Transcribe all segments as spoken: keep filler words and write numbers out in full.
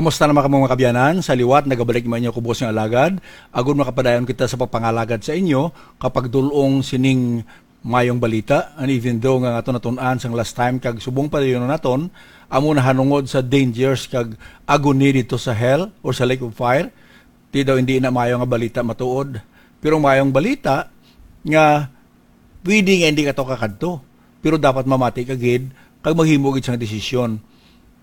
Kumusta naman kamo, mga kabyanan? Sa liwat, nagabalik man inyo kubos nga alagad. Agud makapadayon kita sa pagpangalagad sa inyo, kapag dul-ong sining mayong balita. And even though nga aton natun-an sang last time kag subong pa dayon naton, amo nahanungod sa dangers kag agony dito sa hell or sa lake of fire, di daw hindi na mayo nga balita matuod. Pero mayong balita nga pwede nga hindi ka to kakadto, pero dapat mamati ka gid kag maghimo gid sang desisyon.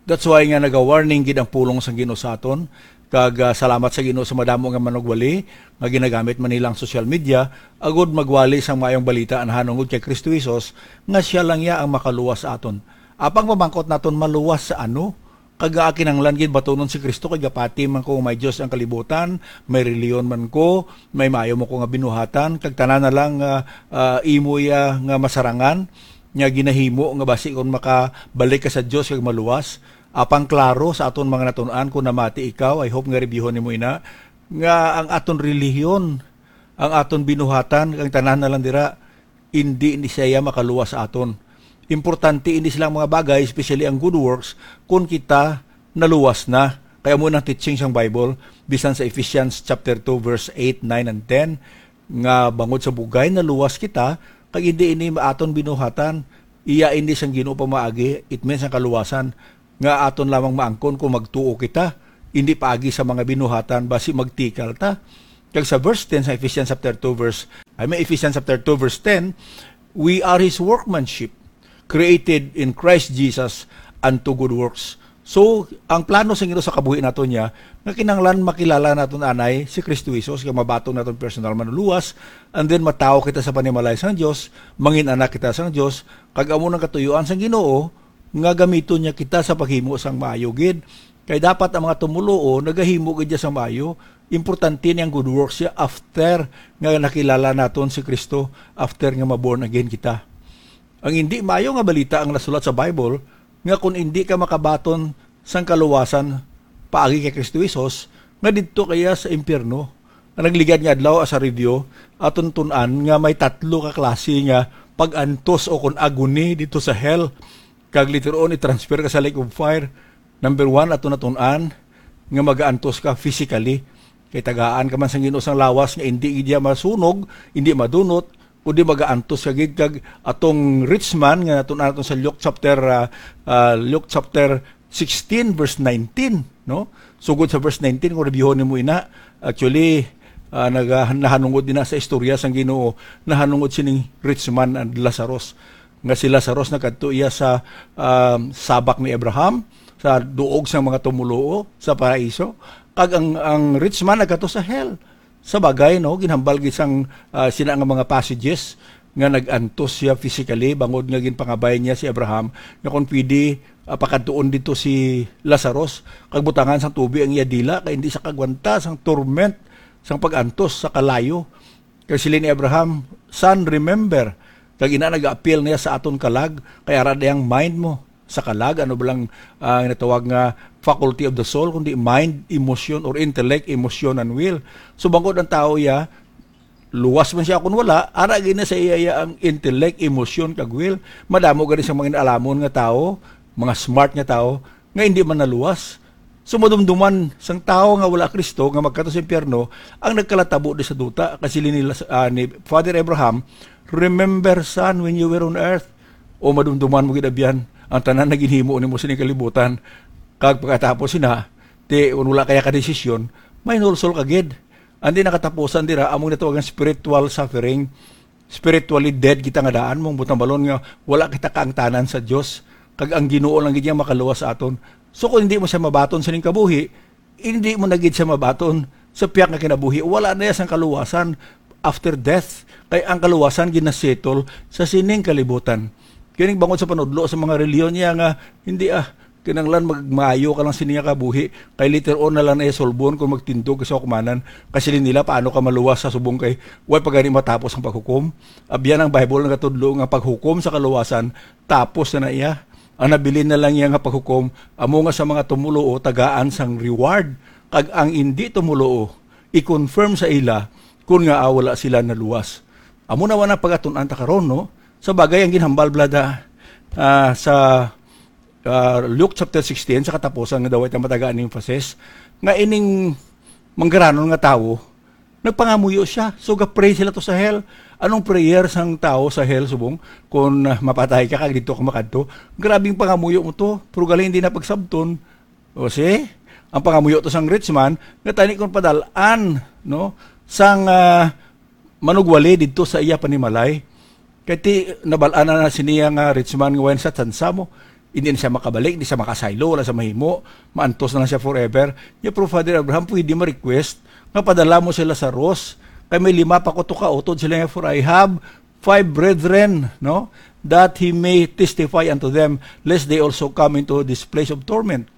That's why nga naga-warning gid ang pulong sang Ginoo sa aton, kag, ah, salamat sa Ginoo sa madamo nga manugwali nga ginagamit man nila ang social media agud magwali sang maayong balita nahanungod kay Kristo Jesus, nga siya lang iya ang makaluwas sa aton. Apang pamangkot naton, maluwas sa ano? Kag nga kinahanglan gid batunon si Kristo, kay gapati man ko may Dios ang kalibutan, may reliyon man ko, may maayo man ko nga binuhatan, kag tanan na lang nga, ah, imo iya nga masarangan, nga ginahimo nga basi kon makabalik ka sa Dios kag maluwas. Apang klaro sa aton mga natun-an, kung namati ikaw, I hope nga reviewhon nimo ina, nga ang aton relihiyon, ang aton binuhatan, ang tanan na lang dira, indi ni siya makaluwas sa aton. Importante ini silang mga bagay, especially ang good works, kung kita naluwas na. Kaya mo nang teaching sang Bible, bisan sa Ephesians chapter two, verse eight, nine, and ten, nga bangod sa bugay naluwas kita, kag hindi ini aton binuhatan, iya ini sang Ginoo pamaagi, it means ang kaluwasan, nga aton lamang maangkon kung magtuo kita, hindi paagi sa mga binuhatan, basi magtikal ta. Kag sa verse ten sa Ephesians chapter two, verse, I mean, Ephesians chapter two, verse ten, "We are His workmanship, created in Christ Jesus unto good works." So, ang plano sa Ginoo sa kabuhi naton niya, nga kinahanglan makilala naton anay si Kristo Jesus, nga mabaton naton personal manluwas, and then matawo kita sa panimalay sang Dios, mangin anak kita sang Dios, kag amo nang katuyuan sang Ginoo, nga gamiton niya kita sa paghimo sang maayo gid. Kay dapat ang mga tumuluo nagahimo gid niya sa maayo. Importante ni ang good works siya after nga nakilala naton si Kristo, after nga ma-born again kita. Ang hindi maayo nga balita ang nasulat sa Bible, nga kung hindi ka makabaton sang kaluwasan paagi kay Kristo Jesus, nga didto kaya sa impyerno. Ang nagligad nga adlaw, as a review, aton tun-an nga may tatlo ka klase nga pag-antos o kon agony dito sa hell. Kag later on, i-transfer ka sa lake of fire. Number one, ato natun-an nga magaantos ka physically. Kay tagaan ka man sang Ginoo sang lawas nga indi gid iya masunog, indi madunot, kundi magaantos ka gid. Kag atong rich man nga natun-an naton sa Luke chapter, ah, ah, Luke chapter sixteen, verse nineteen, no? Sugod sa verse nineteen, kung reviewhon nimo ina, actually, ah, naga-, nahanungod din na sa istorya sang Ginoo, nahanungod sining rich man and Lazarus. Nga si Lazarus nagkadto iya sa, um, sabak ni Abraham, sa duog sang mga tumuluo sa paraiso, kag ang, ang rich man nagkadto sa hell. Sa bagay, no, ginhambal gid sang, ah, sina nga mga passages nga nag-antos siya physically, bangod nga ginpangabay niya si Abraham nga kung pwede, ah, pakadtuon dito si Lazarus, kag butangan sang tubi ang iya dila, kay hindi sa kagwanta sang torment sang pag-antos sa kalayo. Kag siling ni Abraham, "Son, remember." Kag ina, nag-appeal niya sa aton kalag, kay ara dayang mind mo sa kalag, ano ba lang, ah, natawag nga faculty of the soul, kundi mind, emotion, or intellect, emotion, and will. So, bangod ang tao iya, luwas man siya kung wala, ara gid na sa iya, iya ang intellect, emotion, kag will. Madamo gani sa mga alamon nga tao, mga smart nga tao, nga hindi man naluwas. So, madumduman sang tawo nga wala Kristo nga magkadto sa impyerno ang nagkalatabo di sa duta. Kasi ni, ah, ni Father Abraham, "Remember, son, when you were on earth." O madumduman mo gid, abyan, ang tanan na ginhimo nimo sining kalibutan. Kag pagkatapos sina, ti, kung wala kaya ka desisyon, may nulsol ka gid. Ang di nakatapusan dira, among natawagan spiritual suffering. Spiritually dead kita nga daan, mong butambalon nga wala kita kaangtanan sa Dios, kag ang Ginoo lang gid ang makaluwas sa aton. So, kung hindi mo siya mabaton sining kabuhi, hindi mo na gid siya mabaton sa piyak nga kinabuhi. Wala na iya sang kaluwasan after death, kay ang kaluwasan ginasettle sa sining kalibutan. Kining bangod sa panudlo sa mga relihiyon niya nga, hindi, ah, kinahanglan magmaayo ka lang sini nga kabuhi, kay later on na lang na iya sulbon kung magtindog ka sa hukmanan. Kasi nila, paano ka maluwas sa subong kay way pa gani matapos ang paghukom? Abyan, ang Bible nagatudlo nga paghukom sa kaluwasan tapos na na iya. Ang nabilin na lang iya nga paghukom, amo nga sa mga tumuluo tagaan sang reward, kag ang indi tumuluo, i-confirm sa ila kun nga, ah, wala sila naluwas. Amo na wala pagatun-an ta karon, no? Sa bagay, ang ginhambal, blada, ah, sa ah, Luke chapter sixteen, sa katapusan nga daw ita matagaan ni emphasis, nga ining manggaranon nga tawo, nagpangamuyo siya. So, ga-pray sila to sa hell. Anong prayer sang tawo sa hell, subong? Kung, ah, mapatay ka, kag dito ka makadto. Grabing pangamuyo mo to. Pero gali hindi na pagsabton. O, see? Ang pangamuyo to sang rich man, nga tani kung padalaan, no? Sang, ah, manugwali didto sa iya panimalay. Kay ti, nabal-an na, na siniya nga rich man nga wala sa tsansa mo. Hindi na siya makabalik, hindi siya makasaylo, wala sa mahimo. Maantos na lang siya forever. Niya, pero Father Abraham, pwede ma-request nga padala mo sila sa Ross. Kay may lima pa ko to ka utod sila nga, "For I have five brethren, no, that he may testify unto them, lest they also come into this place of torment."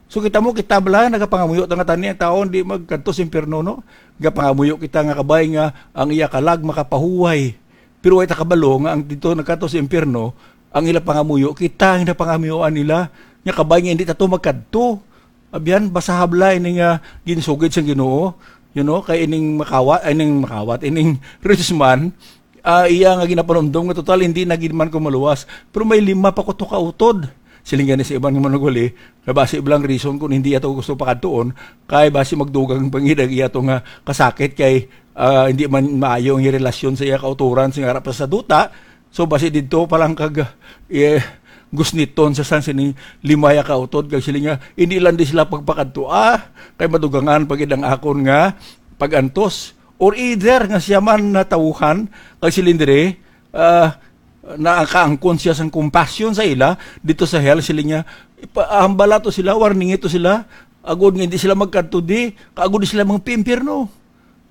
So, kita mo, kita bala, nagapangamuyo ta nga tani ang tawo, hindi magkadto sa impyerno, no? Nagapangamuyo kita nga kabay nga ang iya kalag makapahuway. Pero way ta kabalo nga ang dito nagkadto sa impyerno, ang ila pangamuyo, kita ang napangamuyoan nila. Nga kabay nga hindi ta to magkadto. Abyan, basta habla ini nga ginsugid sang Ginoo, you know, kay ining makawat, ay, ining makawat, ining rich man, ah, iya nga ginapanumdom nga total hindi na gid man ko maluwas. Pero may lima pa ko to ka utod. Siling gani sa iban nga manugwali, nga basi bala ang reason kung hindi ato gusto pakadtuon, kay basi magdugang pangidang iya to nga kasakit kay, ah, hindi man maayo ang relasyon sa iya kauturan sa harap sa duta. So, basi didto pa lang kag, eh, gusniton sa sang sining lima ya ka utod, kag siling nga, "Hindi lang di sila pagpakadto, ah, kay madugangan pa gid ang akon nga pag-antos." Or either nga siya man natawuhan, kag siling diri, ah, nakaangkon siya sang compassion sa ila, dito sa hell, siling niya, "Ipa-, hambala to sila, warningi to sila, agod nga hindi sila magkadto di, kag agod di sila magpimpyerno."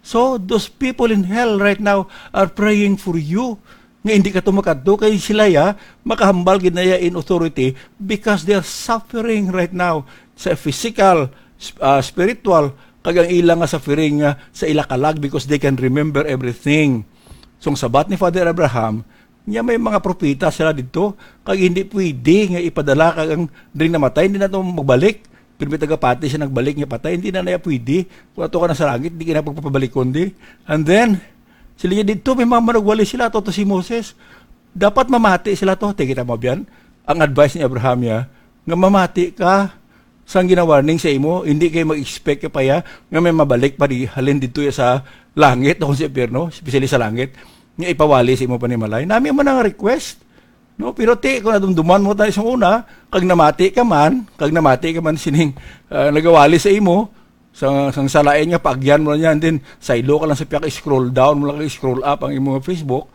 So, those people in hell right now are praying for you. Nga hindi ka to makadto kay sila ya, makahambal gid na ya in authority because they are suffering right now sa physical, sp-, ah, spiritual, kag ang ila nga suffering nga sa ila kalag because they can remember everything. So, ang sabat ni Father Abraham, niya may mga propeta sila didto, kag hindi pwede nga ipadala kag ang diri namatay, hindi na to magbalik. Pero may tagapati siya nagbalik nga patay, hindi na naya pwede. Kung ato ka na sa langit, di ka na pagpapabalikon di. And then, sila niya didto, may mga manugwali sila, ato to si Moses. Dapat mamati sila to. Te, kita mo biyan? Ang advice ni Abraham ya, nga mamati ka sang ginawarning sa imo, hindi kay mag-expect ka pa ya, nga may mabalik pa di, halin didto ya sa langit o sa impyerno, especially sa langit, nga ipawali sa imo panimalay. Nami man ang request. No, pero ti, kung nadumduman mo tayo sa una, kag namati ka man, kag namati ka man sining, ah, nagawali sa imo, sa, sang salain nga paagyan mo lang yan, then saylo ka lang sa pihak, scroll down mo lang, scroll up ang imo nga Facebook,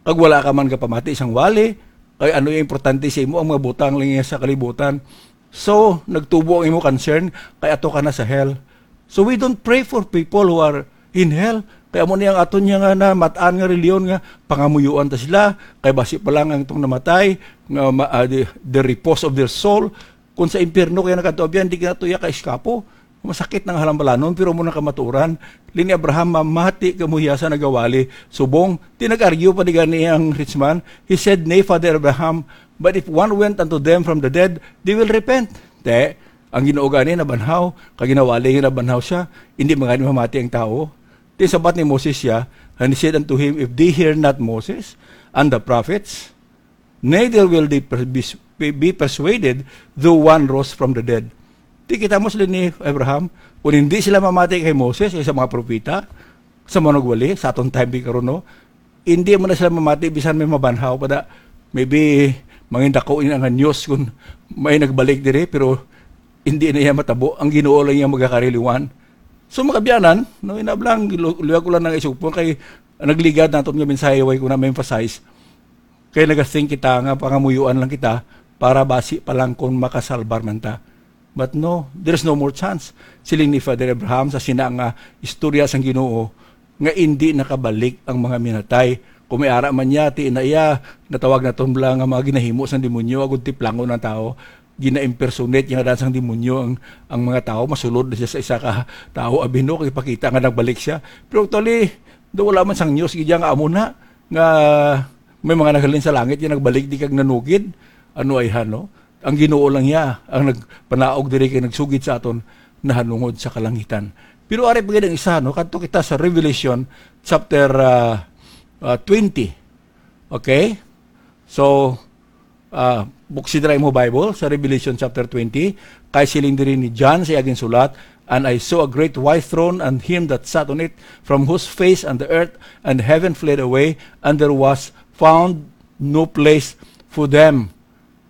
kag wala ka man kapamati sang wali, kay ano yung importante sa imo, ang mga butang lang yan sa kalibutan. So, nagtubo ang imo concern, kay ato ka na sa hell. So, we don't pray for people who are in hell. Kay amo ni ang aton niya nga namat-an nga reliyon nga pangamuyuan ta sila, kay basi pa lang ang itong namatay, nga ma-, ah, the, the repose of their soul. Kung sa impyerno kaya nagkatuabyan, di ka na tuya ka iskapo. Masakit nang halambalanon, pero mo na kamaturan. Lini Abraham, mamati ka mo hiya sa nagawali. Subong, tinag-argue pa di gani ang rich man. He said, "Nay, Father Abraham, but if one went unto them from the dead, they will repent." Te, ang Ginoo gani nabanhaw, kag ginawali nga nabanhaw siya, hindi man gani mamati ang tawo. Ti sabat ni Moses siya, and he said unto him, "If they hear not Moses and the prophets, neither will they per-, be, be persuaded though one rose from the dead." Ti kita mo sila ni Abraham, kung hindi sila mamati kay Moses, kay sa mga propeta, sa manugwali, sa aton time di karon, no? Hindi mo na sila mamati, bisan may mabanhaw pa da. Maybe, mangin dako ini nga news kung may nagbalik diri, pero hindi na iya matabo. Ang Ginoo lang iya magakariluan. So, mga kabyanan, no, inablang, lu-, luyag ko lang nang isugpon kay nagligad naton nga mensahe, way ko na ma-emphasize. Kay nagathink kita nga pangamuyuan lang kita para basi pa lang kung makasalbar man ta. But no, there's no more chance. Siling ni Father Abraham sa sina nga istorya sang Ginoo nga indi nakabalik ang mga minatay. Kung may ara man niya, ti na iya, natawag naton bala nga mga ginahimo sang demonyo, agud tiplangon ang tawo. Gina-impersonate niya nga daan sang demonyo ang, ang mga tawo, masulod na siya sa isa ka tawo, abi no, kay pakita nga nagbalik siya. Pero actually, do wala man sang news, gid nga amo na, nga may mga naghalin sa langit, nga nagbalik di kag nanugid. Ano ay han, no? Ang Ginoo lang niya ang nagpanaog diri kay nagsugid sa aton nahanungod sa kalangitan. Pero ari pa gid ang isa, no? Kadto kita sa Revelation chapter, ah, ah, twenty. Okay? So, ah, Buksi dira imo Bible sa Revelation chapter twenty, kay siling diri ni John sa iya ginsulat, "And I saw a great white throne, and him that sat on it, from whose face and the earth and heaven fled away, and there was found no place for them."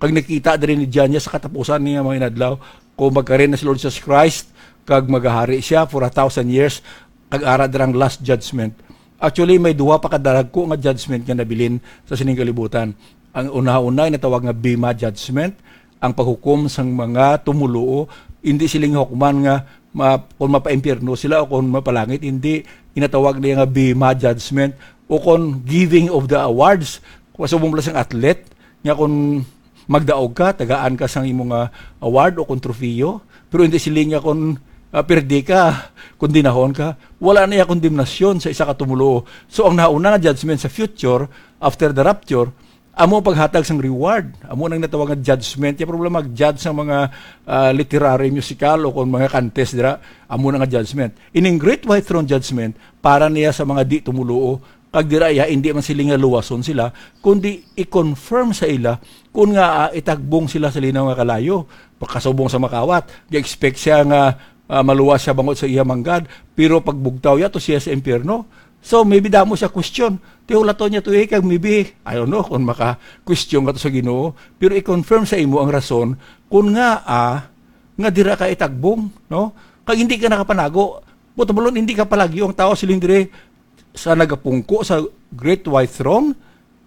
Kag nakita diri ni John niya sa katapusan niya mga inadlaw, kung magkarin na si Lord Jesus Christ, kag magahari siya for a thousand years, kag ara dirang last judgment. Actually, may duha pa ka daragko nga judgment nga nabilin sa sining kalibutan. Ang una-una, inatawag nga Bema Judgment, ang paghukom sang mga tumuluo. Hindi sila nga hukman nga ma-, kung mapaimpyerno sila o kung mapalangit, hindi. Inatawag niya nga Bema Judgment o kung giving of the awards. Kung subong pala sang athlete, nga kung magdaog ka, tagaan ka sang imo nga award o kung trofeo. Pero hindi sila nga kung, ah, pirdi ka, kondenahon ka. Wala na iya kondemnasyon sa isa ka tumuluo. So, ang nauna nga judgment sa future, after the rapture, amo ang paghatag sang reward. Amo nang natawag nga judgment. Yung problema, judge sang mga, ah, literary, musical, o kung mga contest dira, amo na nga judgment. Ining Great White Throne Judgment, para niya sa mga di tumuluo, kag dira iya, hindi man sila nga luwason sila, kundi i-confirm sa ila kun nga, ah, itagbong sila sa linaw nga kalayo. Pagkasubong sa makawat, ga-expect siya nga, ah, maluwas siya bangod sa iya manggad, pero pagbugtaw niya to siya sa impyerno. So, maybe damo siya question. Tihulaton niya to, eh, kag maybe, I don't know kung maka-question ka to sa Ginoo, pero i-confirm sa imo ang rason kun nga, ah, nga dira ka itagbong, no? Kag hindi ka nakapanago. Buot silingon, hindi ka palagyo. Ang tao siling diri sa nagapungko sa Great White Throne,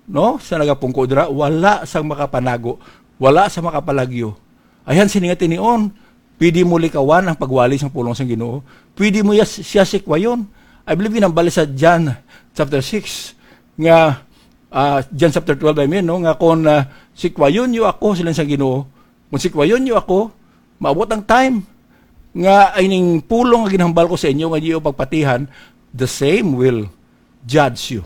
no? Sa nagapungko dira, wala sang makapanago, wala sa makapalagyo. Ayan, sini nga tinion, pwede mo likawan ang pagwali sang pulong sang Ginoo. Pwede mo ya-, siya sikwayon. I believe ginambal sa John chapter six, nga, ah, John chapter twelve, I mean, no? Nga kung, ah, sikwayon niyo ako, siling sang Ginoo, kung sikwayon niyo ako, maabot ang time nga ining pulong nga ginhambal ko sa inyo nga inyo pagpatihan, the same will judge you.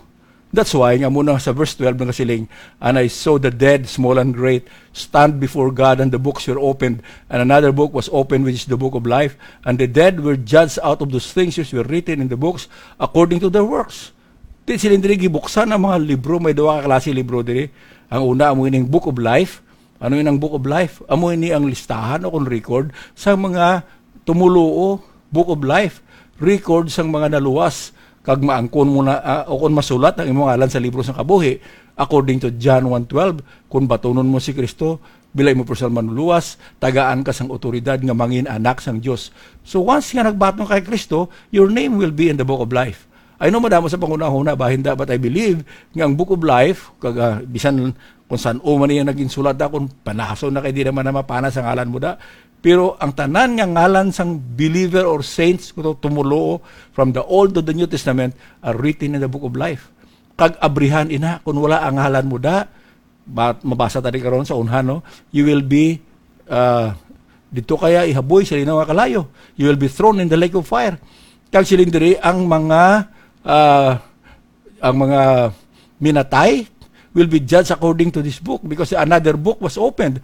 That's why nga muna sa verse twelve nagasiling, "And I saw the dead, small and great, stand before God, and the books were opened, and another book was opened, which is the book of life. And the dead were judged out of those things which were written in the books according to their works." Di sila diri gibuksan ang mga libro, may duha ka klase libro diri. Ang una, amo ining Book of Life. Ano yun ang Book of Life? Amo ini ang listahan o kung record sa mga tumuluo, Book of Life, record sang mga naluwas, kag maangkon mo na, ah, o kung masulat ang imong ngalan sa libro sang kabuhi, according to John one twelve, kung batunon mo si Kristo bilang imo personal manluwas, tagaan ka sang otoridad nga mangin anak sang Dios. So once nga nagbaton ka kay Kristo, your name will be in the Book of Life. I know madamo sa panghunahuna, bahin da, but I believe nga ang Book of Life, kag, ah, bisan kung san-o man niya naging sulat da, kung panason na kay di naman na mapana sa ngalan mo da. Pero ang tanan nga ngalan sang believer or saints, kuno tumuluo, from the Old to the New Testament, are written in the Book of Life. Kag abrihan ina, kung wala ang ngalan mo da, ba-, mabasa tadi karon sa unhan, no? You will be, ah, dito kaya ihaboy sa linaw nga kalayo. You will be thrown in the lake of fire. Kag siling diri ang mga, ah, ang mga minatay will be judged according to this book, because another book was opened.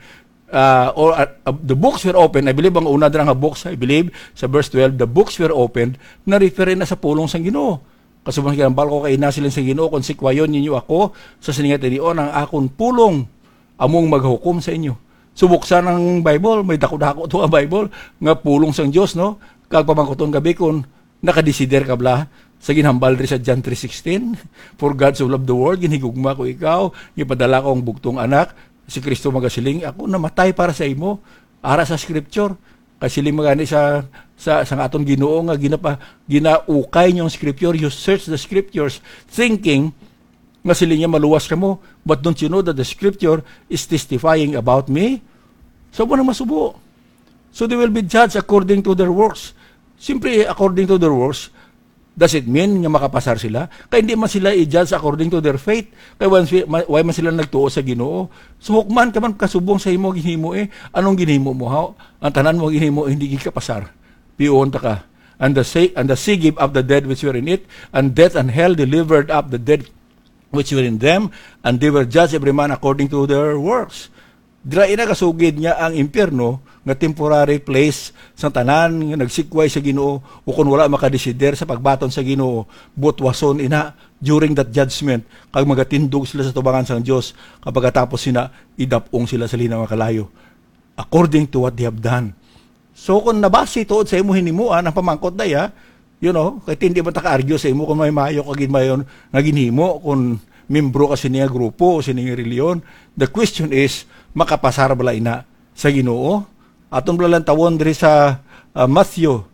Uh, or, uh, uh, the books were opened. I believe ang una dira nga books, I believe, sa verse twelve, the books were opened, na-refer na sa pulong sang Ginoo. Kasubang ginambal ko kay ina siling sa Ginoo, "Kung sikwayon ninyo ako sa sining nga tinion, ang akon pulong among maghukom sa inyo." So, buksan ang Bible, may dako-dako to ang Bible, nga pulong sang Dios, no? Kag pamangkuton gabi kung nakadesider ka bala sa ginhambal diri sa John three sixteen, "For God so loved the world, ginhigugma ko ikaw, gipadala ko ang bugtong anak." Si Kristo magasiling, "Ako namatay para sa imo." Ara sa scripture, kay siling man gani sa, sa, sa aton Ginoo nga ginapa-, ginaukay niyo ang scripture, you search the scriptures, thinking nga siling niya maluwas kamo, but don't you know that the scripture is testifying about me? So, mo na masubo. So, they will be judged according to their works. Simply according to their works, does it mean nga makapasar sila? Kay hindi man sila i-judge according to their faith. Kay why, why man sila nagtuo sa Ginoo? So, hukman ka man kasubong sa imo ginhimo, eh. Anong ginhimo mo, ha? Ang tanan mo ginhimo, hindi gid kapasar. Piyon ta ka. "And the sea, and the sea gave up the dead which were in it, and death and hell delivered up the dead which were in them, and they were judged every man according to their works." Dira ina gasugid nga ang impyerno nga temporary place sa tanan nga nagsikway sa Ginoo, o kon wala makadesider sa pagbaton sa Ginoo, butwason ina during that judgment, kag magatindog sila sa tubangan sang Dios, kag pagkatapos sina, idap-ong sila sa linaw nga kalayo, according to what they have done. So, kung nabasi tuod sa imo hinimuan ang pamangkot daya, you know, kay hindi man ta ka-argue sa imo kung may maayo ka gid mayon nga ginhimo, kung membro ka sini nga grupo o sini nga reliyon. The question is, makapasar bala ina sa Ginoo? Aton bala lang tawon diri sa, ah, Matthew,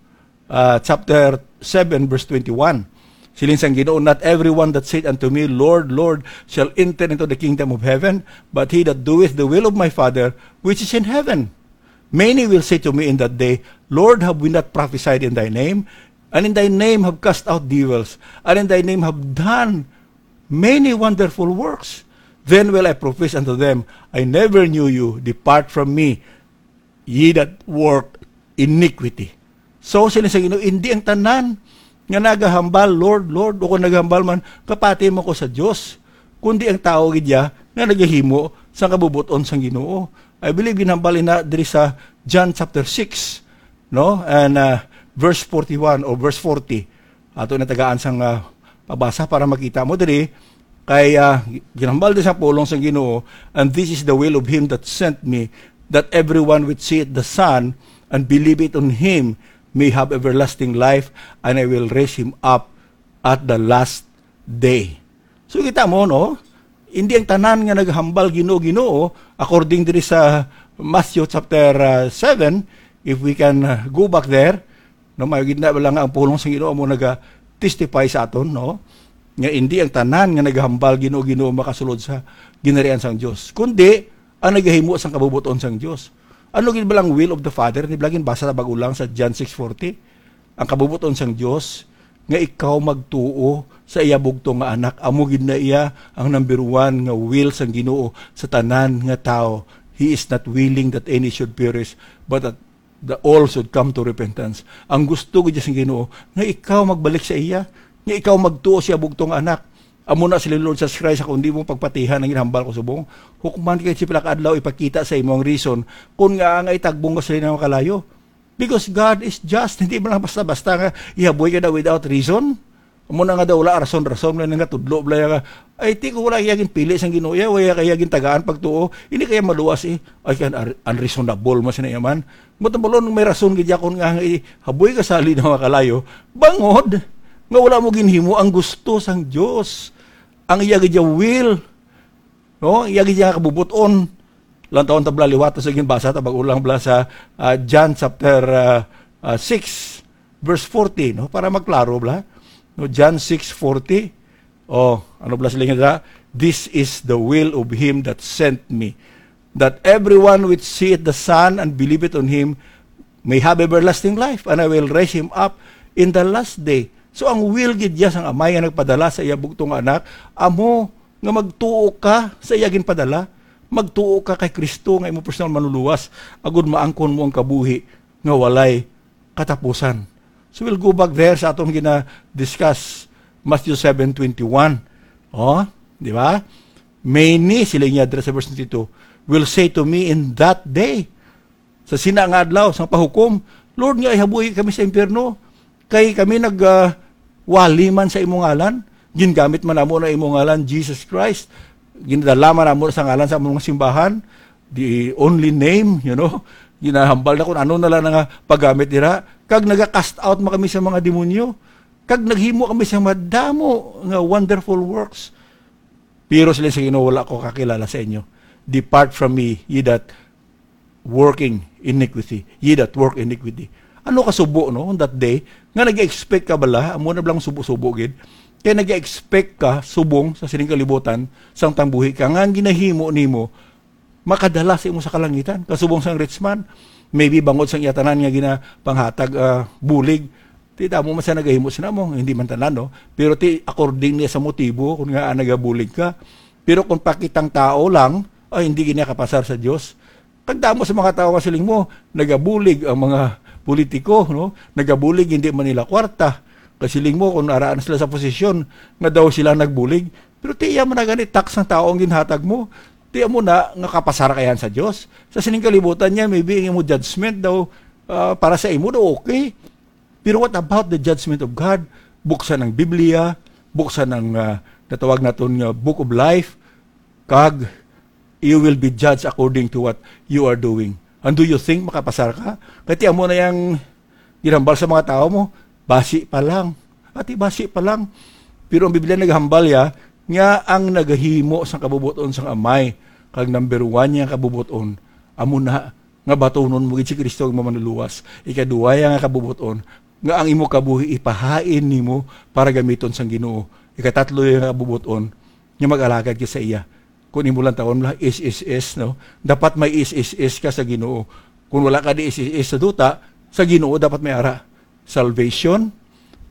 ah, chapter seven, verse twenty-one. Siling sang Ginoo, "Not everyone that saith unto me, 'Lord, Lord,' shall enter into the kingdom of heaven, but he that doeth the will of my Father which is in heaven." Many will say to me in that day, 'Lord, have we not prophesied in thy name? And in thy name have cast out devils, and in thy name have done many wonderful works.' Then will I profess unto them, 'I never knew you. Depart from me, ye that work iniquity.'" So, sila sa Ginoo, hindi ang tanan nga nagahambal, "Lord, Lord," o kung nagahambal man, "Kapati mo ko sa Dios," kundi ang tawo gid ya nga nagahimo sa kabubuton sang Ginoo. I believe ginhambal ina diri sa John chapter six, no? And, uh, verse forty-one or verse forty. Ato na tagaan sang, uh, pabasa para makita mo diri. Kay, uh, ginhambal din sa pulong sang Ginoo, "And this is the will of him that sent me, that everyone which seeth the Son and believeth on him may have everlasting life, and I will raise him up at the last day." So, kita mo, no? Hindi ang tanan nga naghambal, "Ginoo, Ginoo," according diri sa Matthew chapter, uh, seven, if we can, uh, go back there, no, may gid na lang ang pulong sa Ginoo mo naga-testify sa aton, no? Nga hindi ang tanan nga naghambal, "Ginoo, Ginoo," makasulod sa ginharian sang Dios, kundi ang nagahimo sang kabubuton sang Dios. Ano gid ba lang will of the Father? Di ba lagi basa sa bag-o lang sa John six forty? Ang kabubuton sang Dios, nga ikaw magtuo sa iya bugtong nga Anak. Amo gid na iya ang number one nga will sang Ginoo sa tanan nga tawo. He is not willing that any should perish, but that the all should come to repentance. Ang gusto gid sang Ginoo, nga ikaw magbalik sa iya, nga ikaw magtuo sa iya bugtong nga Anak. Amo na sila, "Lord Jesus Christ, ako hindi mo pagpatihan ang ginhambal ko subong. Hukman kay sa pila ka adlaw ipakita sa imo ang reason kung nga ang ay tagbong ka sa linaw nga kalayo." Because God is just, hindi man lang basta-basta nga ihaboy ka na without reason. Amo na nga daw, wala rason-rason, wala nga tudlo, wala nga, ay, ti ko wala iya ginpili sang Ginoo, iya, wala kaya gintagaan pagtuo, hindi kaya maluwas, eh. Ay, kan ar-, unreasonable man sina iya man. Matambalon, may rason gid yakon nga, eh, haboy ka sa linaw nga kalayo, bangod nga wala mo ginhimo ang gusto sang Dios, ang iya gid iya will, no? Iya gid iya nga kabubuton. Lang taon tabla liwat sa ginbasa, tabag ulang bala sa, ah, John chapter, ah, ah, six, verse forty, no? Para magklaro bala. No, John six forty. Oh, ano bala sila nga, "This is the will of him that sent me, that everyone which seeth the Son and believeth on him may have everlasting life, and I will raise him up in the last day." So, ang will gid iya sang Amay nga nagpadala sa iya bugtong nga Anak, amo nga magtuo ka sa iya ginpadala, magtuo ka kay Kristo nga imong personal manluluwas, agud maangkon mo ang kabuhi nga walay katapusan. So, we'll go back there sa atong gina-discuss, Matthew seven twenty-one. Oh, di ba? "Many," sila niya dira sa verse twenty-two, "will say to me in that day," sa sina nga adlaw sang pahukom, "Lord, nga ihabuhi kami sa impyerno, kay kami nag, ah, wali man sa imong ngalan, gingamit man namo na imong ngalan, Jesus Christ, ginadala man namo sa ngalan sa among mga simbahan, the only name, you know, ginahambal na kung ano na lang nga paggamit dira, kag naga-cast out man kami sa mga demonyo, kag naghimo kami sa madamo nga wonderful works." Pero sila sa Ginoo, "Wala ko kakilala sa inyo. Depart from me, ye that working iniquity, ye that work iniquity." Ano ka subo, no, on that day? Nga nag-expect ka bala? Amo na bala ang subo-subo gid. Kay nag-expect ka subong sa sining kalibutan, sang tangbuhi ka, nga ang ginahimo nimo makadala sa imo sa kalangitan. Kasubong sang rich man, maybe bangod sang iya tanan nga ginapanghatag, ah, bulig, ti damo man sa nagahimo sina mo, hindi man tanan, no? Pero ti according niya sa motibo, kung nga, ah, nagabulig ka. Pero kung pakitang tao lang, ay, hindi gid niya kapasar sa Dios. Kag damo sa mga tawo nga siling mo, nagabulig ang mga politiko, no? Nagabulig, hindi man nila kwarta. Kasiling mo, kung araan sila sa posisyon, nga daw sila nagbulig. Pero ti iya man na gani, tax ng tao ang ginhatag mo. Ti amo na nga kapasar ka yan sa Dios. Sa sining kalibutan niya, maybe ang imo judgment daw, ah, para sa imo daw okay. Pero what about the judgment of God? Buksan ang Biblia, buksan ang, ah, natawag naton nga Book of Life, kag you will be judged according to what you are doing. And do you think makapasar ka? Kay ti amo na yang ginhambal sa mga tawo mo, basi pa lang. Ati, basi pa lang. Pero ang Biblia naghambal ya nga ang nagahimo sang kabubuton sang Amay kag number one niya kabubuton, amo na nga batunon mo gid si Kristo ang manluluwas. Ikaduha ya nga kabubuton, nga ang imo kabuhi ipahain nimo para gamiton sang Ginoo. Ikatatlo ya nga kabubuton, nga mag-alagad ka sa iya. Kung imo lang tawon lang, S S S, no? Dapat may S S S ka sa Ginoo. Kung wala ka di S S S sa duta, sa Ginoo dapat may ara. Salvation,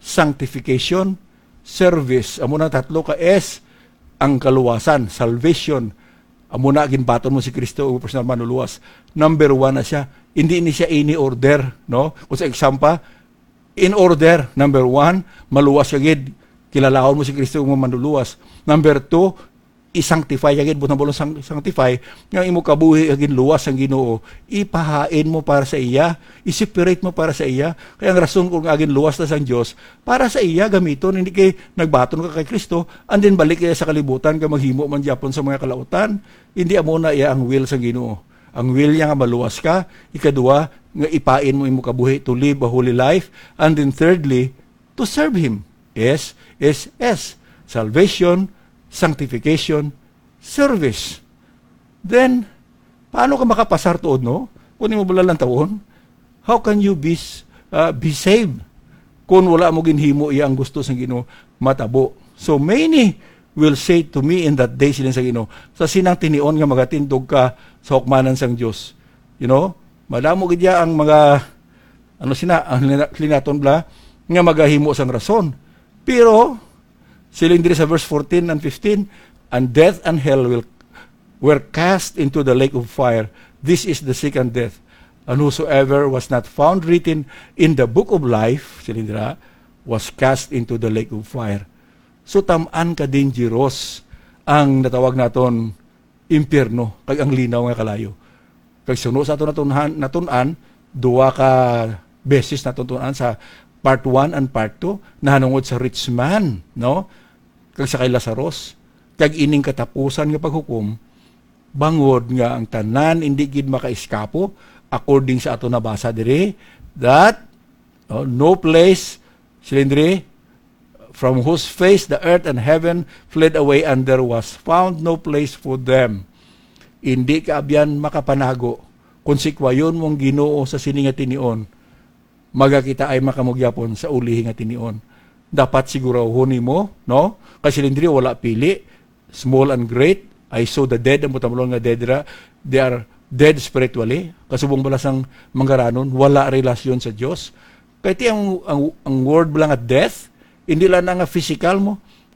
sanctification, service. Amo nang tatlo ka S, ang kaluwasan, salvation. Amo na, ginbaton mo si Kristo, ang personal manluluwas. Number one na siya. Hindi ni siya ini order, no? Kung sa exam pa, in order, number one, maluwas ka gid, kilalahon mo si Kristo, ang manluluwas. Number two, i-sanctify ka gid, butang balon sang-, sanctify, nga imo kabuhi nga ginluwas sang Ginoo, ipahain mo para sa iya, i-separate mo para sa iya. Kaya ang rason kung nga ginluwas na sang Dios, para sa iya gamiton, hindi kay nagbaton ka kay Kristo, and then balik ka sa kalibutan, kay maghimo man gyapon sa mga kalautan. Hindi amo na iya ang will sang Ginoo. Ang will niya nga maluwas ka, ikaduha, nga ipain mo imo kabuhi to live a holy life, and then thirdly, to serve Him. S, S, S. Salvation, sanctification, service. Then, paano ka makapasar tuod, no? Kung imo bala lang tawon, how can you be, s- uh, be saved kung wala mo ginhimo iya ang gusto sang Ginoo matabo? So many will say to me in that day, siling sa Ginoo, sa sinang tinion nga magatindog ka sa hukmanan sang Dios. You know, madamo gid ya ang mga, ano sina, ang lina- linaton bala, nga magahimo sang rason. Pero, siling diri sa verse fourteen and fifteen, "And death and hell will, were cast into the lake of fire. This is the second death. And whosoever was not found written in the book of life," siling dira, "was cast into the lake of fire." So, tam-an ka dangerous ang natawag naton impyerno, kag ang linaw nga kalayo. Kag suno sa aton natun-an, natun-an, duha ka beses naton tun-an sa part one and part two, nahanungod sa rich man, no? Kag sa kay Lazarus. Kag ining katapusan nga paghukom, bangod nga ang tanan indi gid makaiskapo, according sa aton nabasa diri, that, oh, no place, siling diri, "From whose face the earth and heaven fled away, and there was found no place for them." Indi ka abyan makapanago. Kung sikwayon mo ang Ginoo sa sini nga tinion, magakitaay man kamo gihapon sa ulihi nga tinion. Dapat sigurahon nimo, no? Kay siling diri, wala pili, small and great. I saw the dead, ang butamlon nga dead ra, they are dead spiritually. Kasubong bala sang manggaranon, wala relasyon sa Dios. Kay ti ang, ang, ang word bala nga death, hindi lang na nga physical mo.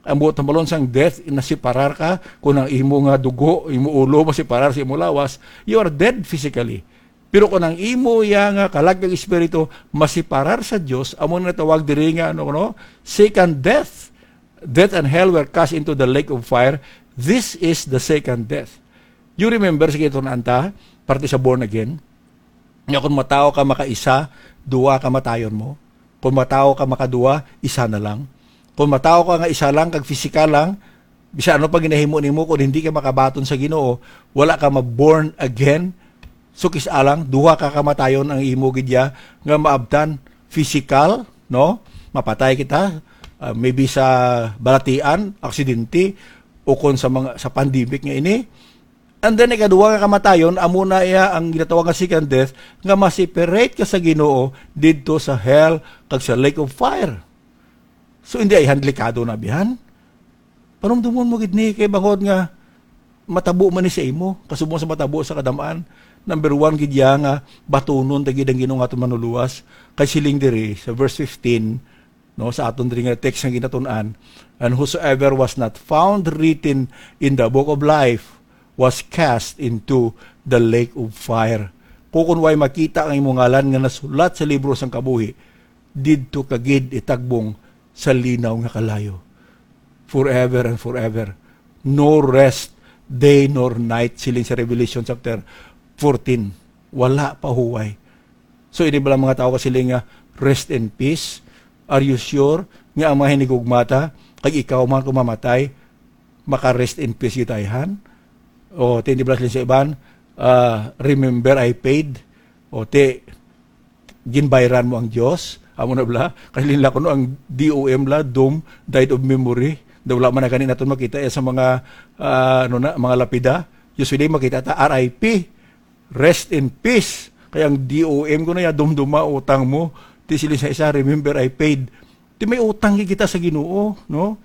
Ang buot hambalon sang death, nasiparar ka, kung ang imo nga dugo, imo ulo, masiparar sa imo lawas, you are dead physically. Pero kung ang imo ya nga kalag kag espiritu masiparar sa Dios, amo na tawag diri nga, ano, no? Second death. Death and hell were cast into the lake of fire. This is the second death. You remember, sige, ito na anta, parte sa born again, nga kung matawo ka makaisa, duwa ka matayon mo. Kung matawo ka makaduwa, isa na lang. Kung matawo ka nga isa lang, kag pisikal lang, bisan ano pa ginahimo nimo, kung hindi ka makabaton sa Ginoo, wala ka ma-born again. So, kis-a lang, duha ka kamatayon ang imo gid ya nga maabtan. Pisikal, no? Mapatay kita, ah, maybe sa balatian, aksidente, o kon sa mga, sa pandemic nga ini. And then, ikaduha nga kamatayon, amo na iya ang ginatawag nga second death, nga ma-separate ka sa Ginoo didto sa hell kag sa lake of fire. So, hindi ay delikado na bihan. Panumdumon mo gid ni kay bangod nga matabo man ni sa imo, kasubong sa matabo sa kadam-an. Number one gid ya nga batunon ta gid ang Ginoo nga aton manluluwas. Kay siling diri sa verse fifteen, no, sa aton diri nga text nga ginatun-an, "And whosoever was not found written in the book of life was cast into the lake of fire." Kung, kung way makita ang imong ngalan nga nasulat sa libro sang kabuhi, didto ka gid itagbong sa linaw nga kalayo. Forever and forever. No rest, day nor night, siling sa Revelation chapter fourteen. Wala pa huway. So, ini bala mga tawo kasiling nga, "Rest in peace"? Are you sure nga ang mga hinigugmata, kag ikaw man kung mamatay, maka-rest in peace gid ta ayhan? O, ti, hindi bala siling sa iban, ah, "Remember, I paid." O, ti, ginbayran mo ang Dios? Amo na bala? Kay linla kuno ang D O M la, doom, died of memory. Daw wala man na gani naton makita, eh, sa mga, ah, ano na, mga lapida. Usually, makita ta, R I P. Rest in peace. Kay ang D O M ko na ya, dumduma, utang mo. Ti siling sa isa, "Remember, I paid." Ti may utang kita sa Ginoo, no?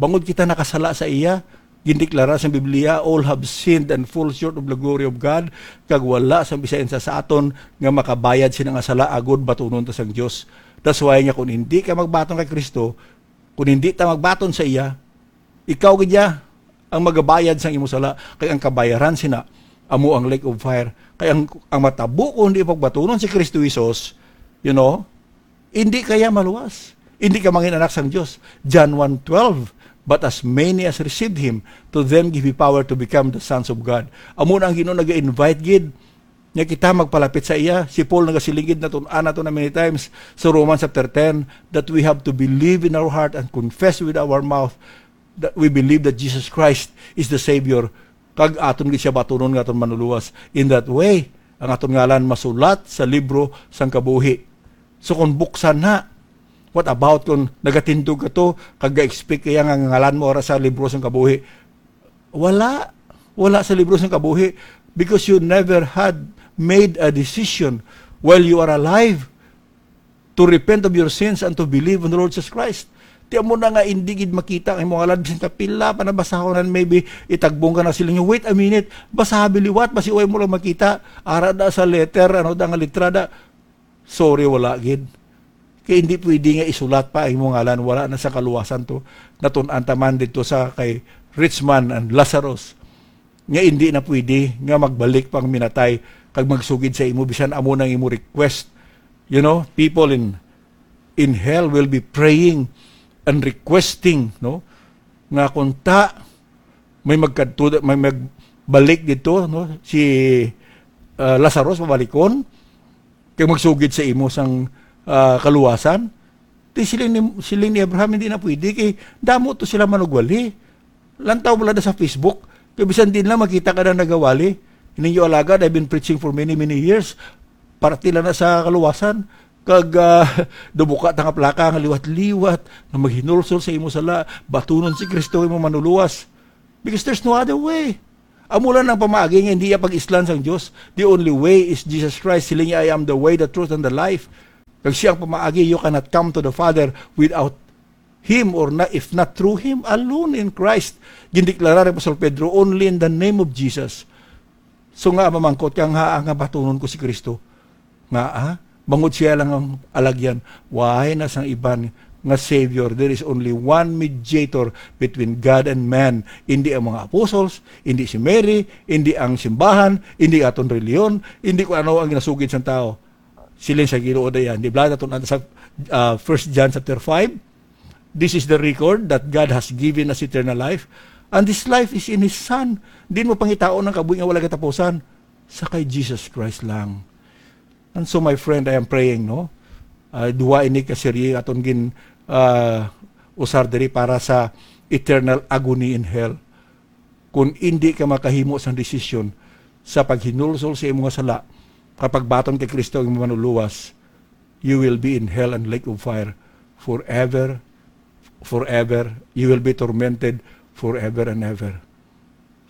Bangod kita nakasala sa iya, gindeklara sa Biblia, "All have sinned and fall short of the glory of God," kag wala sa bisan isa sa aton nga makabayad sina nga sala agod batunon ta sang Dios. That's why nga kung hindi ka magbaton kay Kristo, kung hindi ta magbaton sa iya, ikaw gid ya ang magabayad sang imo sala, kay ang kabayaran sina amo ang lake of fire. Kay ang, ang matabo kung hindi pagbatunon si Kristo Jesus, you know, hindi kaya maluwas. Hindi ka mangin anak sang Dios. John one twelve, "But as many as received him, to them give he power to become the sons of God." Amo na ang Ginoo nag-invite gid nga kita magpalapit sa iya. Si Paul nagasiling gid, natun-an nato na many times sa Romans chapter ten, that we have to believe in our heart and confess with our mouth that we believe that Jesus Christ is the Savior, kag aton gid siya batunon nga aton manuluwas. In that way, ang aton ngalan masulat sa libro sang kabuhi. So kung buksan na, what about kung nagatindog ka to, kag ga-expect kaya nga ngalan mo ara sa libro sang kabuhi? Wala. Wala sa libro sang kabuhi, because you never had made a decision while you are alive to repent of your sins and to believe on the Lord Jesus Christ. Ti amo na nga hindi gid makita ang imong ngalan, bisan kapila pa nabasahon, and maybe itagbong ka na sila nga, "Wait a minute, basaha liwat, basi way mo lang makita." Ara da sa letter, ano da nga litra da. Sorry, wala gid. Kay hindi pwede nga isulat pa ang imong ngalan, wala na sa kaluwasan to. Natun-an ta man didto sa kay rich man and Lazarus, nga hindi na pwede nga magbalik pang minatay kag magsugid sa imo, bisan amo nang imo request. You know, people in, in hell will be praying and requesting, no, nga kung ta may magkadto, may magbalik didto, no, si, ah, Lazarus, pabalikon, kay magsugid sa imo sang, ah, kaluwasan. Ti siling ni, siling ni Abraham, "Hindi na pwede, kay damo to sila manugwali. Lantaw mo lang sa Facebook, kay bisan din lang makita ka na nagawali. Ninyo alagad, I've been preaching for many, many years. Parte lang na sa kaluwasan. Kag, ah, dubuka ta nga plaka nga liwat-liwat, nga maghinulsol sa imo sala, batunon si Kristo imo manuluwas." Because there's no other way. Amo lang ang pamaagi nga hindi iya pag-islan sang Dios. The only way is Jesus Christ. Siling niya, "I am the way, the truth, and the life." Kag siya ang pamaagi, you cannot come to the Father without Him, or na, if not through Him alone in Christ. Gindeklara ni Apostol Pedro, "Only in the name of Jesus." So nga, mamangkot ka nga, "Nga batunon ko si Kristo?" Nga, ah, bangod siya lang ang alagyan. Why na sang iban nga Savior? There is only one mediator between God and man. Hindi ang mga apostles, hindi si Mary, hindi ang simbahan, hindi aton reliyon, hindi kung ano ang ginasugid sang tao. Siling sa Ginoo dayan. Di ba, naton sa, ah, First John chapter five, "This is the record, that God has given us eternal life, and this life is in His Son." Di mo pangitaon ang kabuhi nga wala katapusan. Sa kay Jesus Christ lang. And so, my friend, I am praying, no? Ah, duha ini ka serye aton gin, ah, usar diri para sa eternal agony in hell. Kung indi ka makahimo sang desisyon sa paghinulsol sa imo nga sala, kapag baton kay Kristo ang imo manuluwas, you will be in hell and lake of fire forever, forever. You will be tormented forever and ever.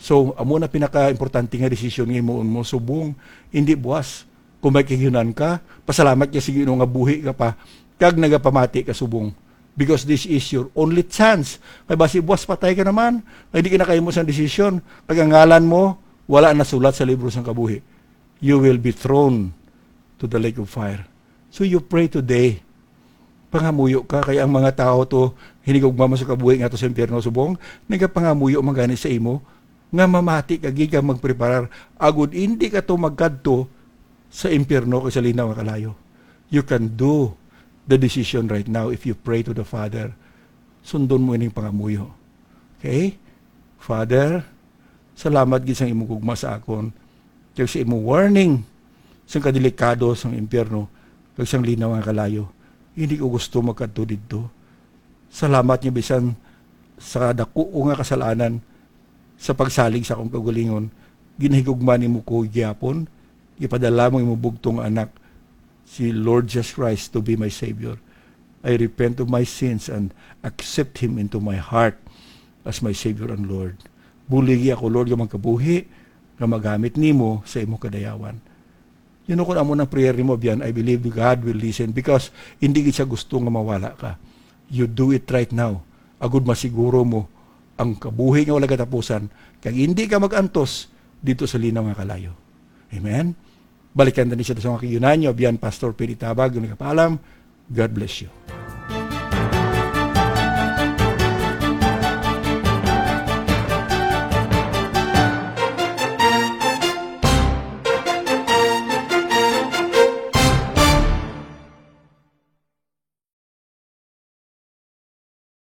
So, amo na pinaka-importante nga desisyon nga himuon mo, subong, hindi buwas. Kung may kahiunan ka, pasalamat ka sa Ginoo nga buhi ka pa, kag nagapamati ka subong. Because this is your only chance. Kay basi buwas patay ka naman, kay di ka nakahimo sang desisyon, kag ang ngalan mo wala nasulat sa libro sang kabuhi. You will be thrown to the lake of fire. So you pray today. Pangamuyo ka, kay ang mga tawo to, hinigugma man sa kabuhi nga to sa impyerno subong, nagapangamuyo man gani sa imo, nga mamati ka gid kag magpreparar, agud indi ka to magkadto sa impyerno kag sa linaw nga kalayo. You can do the decision right now if you pray to the Father. Sundon mo ining pangamuyo. Okay? Father, Salamat gid sang imong gugma sa akon, kag sa imong warning sang kadelikado sang impyerno, kag sang linaw nga kalayo. Hindi ko gusto magkadto didto. Salamat nga bisan sa dako ko nga kasalanan, sa pagsalig sa akong kaugalingon, ginahigugma nimo ko gihapon, ipadala mo imong bugtong nga anak, si Lord Jesus Christ, to be my Savior. I repent of my sins and accept Him into my heart as my Savior and Lord. Buligi ako, Lord, nga magkabuhi, nga magamit nimo sa imong kadayawan. You know, kung amo nang prayer nimo, biyan, I believe God will listen, because hindi gid siya gusto nga mawala ka. You do it right now, agud masiguro mo ang kabuhi nga wala katapusan, kag hindi ka mag-antos dito sa linaw nga kalayo. Amen? Balikan ta ni siya sa mga kiyunanyo. Biyan, Pastor Pili Tabag, nagapaalam. God bless you.